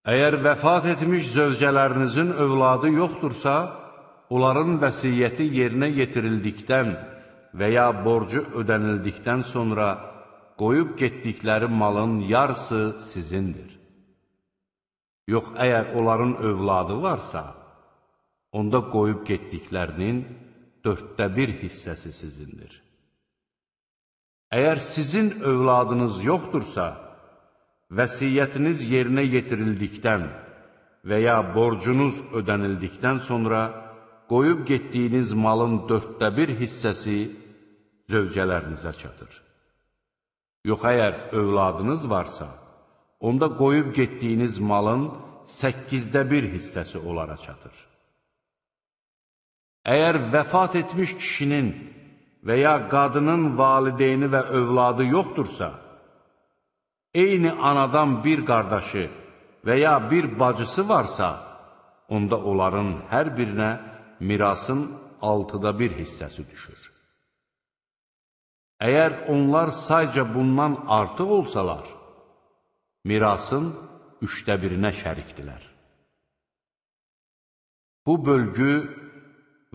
Əgər vəfat etmiş zövcələrinizin övladı yoxdursa, onların vəsiyyəti yerinə yetirildikdən və ya borcu ödənildikdən sonra qoyub getdikləri malın yarısı sizindir. Yox, əgər onların övladı varsa, onda qoyub getdiklərinin 1/4 hissəsi sizindir. Əgər sizin övladınız yoxdursa, vəsiyyətiniz yerinə yetirildikdən və ya borcunuz ödənildikdən sonra qoyub getdiyiniz malın 1/4 hissəsi zövcələrinizə çatır. Yox, əgər övladınız varsa, onda qoyub getdiyiniz malın 1/8 hissəsi onlara çatır. Əgər vəfat etmiş kişinin və ya qadının valideyni və övladı yoxdursa, eyni anadan bir qardaşı və ya bir bacısı varsa, onda onların hər birinə mirasın 1/6 hissəsi düşür. Əgər onlar sayca bundan artıq olsalar, mirasın 1/3 şərikdilər. Bu bölgü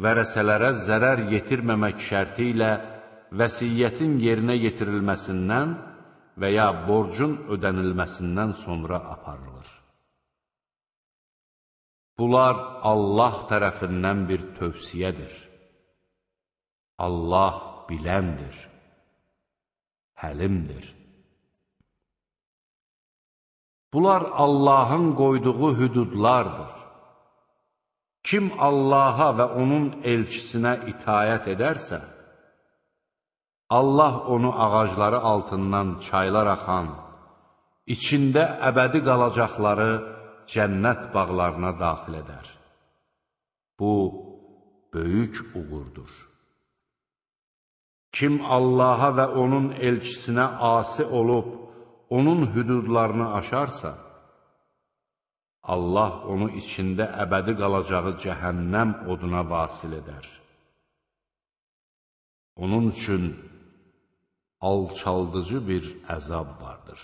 vərəsələrə zərər yetirməmək şərti ilə vəsiyyətin yerinə yetirilməsindən və ya borcun ödənilməsindən sonra aparılır. Bunlar Allah tərəfindən bir tövsiyədir. Allah biləndir, həlimdir. Bunlar Allahın qoyduğu hüdudlardır. Kim Allaha və onun elçisinə itayət edərsə, Allah onu ağacları altından çaylar axan, içində əbədi qalacaqları cənnət bağlarına daxil edər. Bu, böyük uğurdur. Kim Allaha və onun elçisinə asi olub, onun hüdudlarını aşarsa, Allah onu içində əbədi qalacağı cəhənnəm oduna vasil edər. Onun üçün alçaldıcı bir əzab vardır.